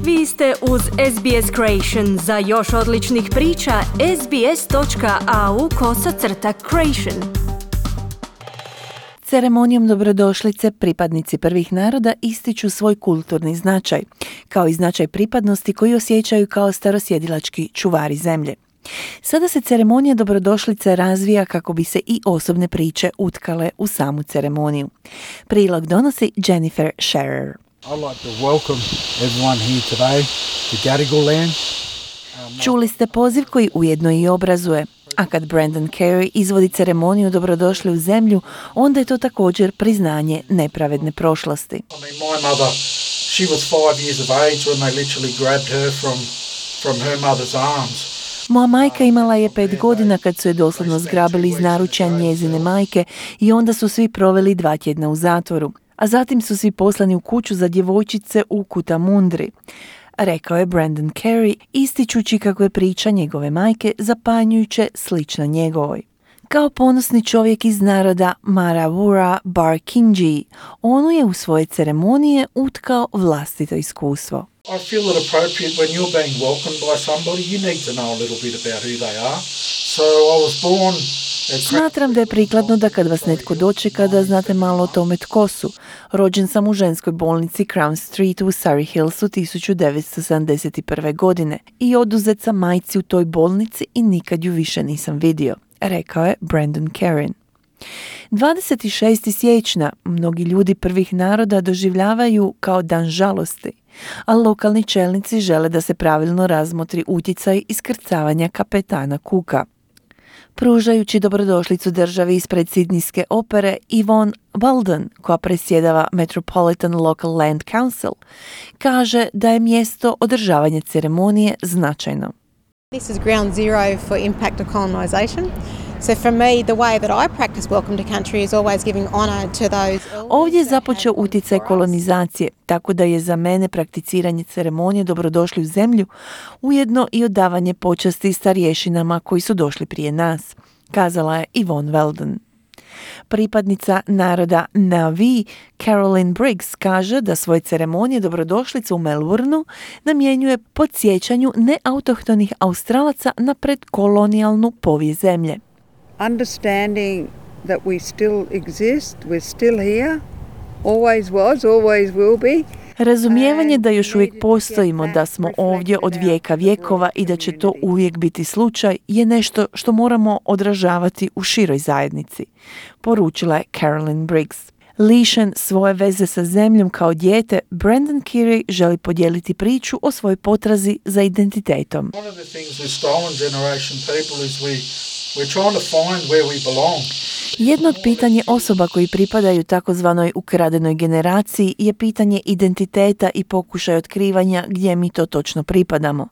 Vi ste uz SBS Creation. Za još odličnih priča, sbs.au/creation. Ceremonijom dobrodošlice pripadnici prvih naroda ističu svoj kulturni značaj, kao i značaj pripadnosti koji osjećaju kao starosjedilački čuvari zemlje. Sada se ceremonija dobrodošlice razvija kako bi se i osobne priče utkale u samu ceremoniju. Prilog donosi Jennifer Scherer. I'd like to welcome everyone here today to Gadigal land. Čuli ste poziv koji ujedno i obrazuje, a kad Brendan Carey izvodi ceremoniju dobrodošli u zemlju, onda je to također priznanje nepravedne prošlosti. My mother, she was 5 years of age when they literally grabbed her from her mother's arms. Moja majka imala je 5 godina kad su je doslovno zgrabili iz naručja njezine majke i onda su svi proveli 2 tjedna u zatvoru. A zatim su svi poslani u kuću za djevojčice u Cootamundri, rekao je Brendan Carey, ističući kako je priča njegove majke zapanjujuće slična njegovoj. Kao ponosni čovjek iz naroda Marawura Barkindji, on je u svoje ceremonije utkao vlastito iskustvo. I feel it appropriate when you're being welcomed by somebody, you need to know a little bit about who they are. So I was born. Smatram da je prikladno da kad vas netko dočeka da znate malo o tome tko su. Rođen sam u ženskoj bolnici Crown Street u Surrey Hillsu 1971. godine i oduzet sam majci u toj bolnici i nikad ju više nisam vidio, rekao je Brendan Carey. 26. siječnja mnogi ljudi prvih naroda doživljavaju kao dan žalosti, a lokalni čelnici žele da se pravilno razmotri utjecaj iskrcavanja kapetana Cooka. Pružajući dobrodošlicu državi ispred Sidnijske opere, Yvonne Walden, koja presjedava Metropolitan Local Land Council, kaže da je mjesto održavanja ceremonije značajno. This is ground zero for impact of colonisation. So for me, the way that I practice welcome to country is always giving honor to those. Ovdje je započeo utjecaj kolonizacije, tako da je za mene prakticiranje ceremonije dobrodošli u zemlju ujedno i odavanje počasti starješinama koji su došli prije nas, kazala je Yvonne Walden. Pripadnica naroda Navi, Caroline Briggs, kaže da svoje ceremonije dobrodošlice u Melbourneu namjenjuje podsjećanju neautohtonih Australaca na predkolonijalnu povijest zemlje. Understanding that we still exist, we're still here, always was, always will be. Razumijevanje da još uvijek postojimo, da smo ovdje od vijeka vjekova i da će to uvijek biti slučaj je nešto što moramo odražavati u široj zajednici, poručila je Caroline Briggs. Lišen svoje veze sa zemljom kao dijete, Brendan Carey želi podijeliti priču o svojoj potrazi za identitetom. One of the things with stolen generation people is we're trying to find where we belong. Jedno od pitanja osoba koji pripadaju takozvanoj ukradenoj generaciji je pitanje identiteta i pokušaj otkrivanja gdje mi to točno pripadamo.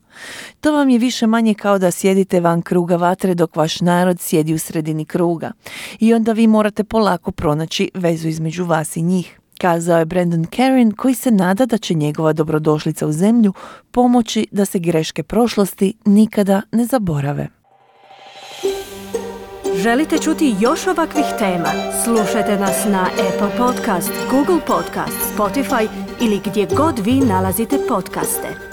To vam je više manje kao da sjedite van kruga vatre dok vaš narod sjedi u sredini kruga. I onda vi morate polako pronaći vezu između vas i njih, kazao je Brendan Carey, koji se nada da će njegova dobrodošlica u zemlju pomoći da se greške prošlosti nikada ne zaborave. Želite čuti još ovakvih tema? Slušajte nas na Apple Podcast, Google Podcast, Spotify ili gdje god vi nalazite podcaste.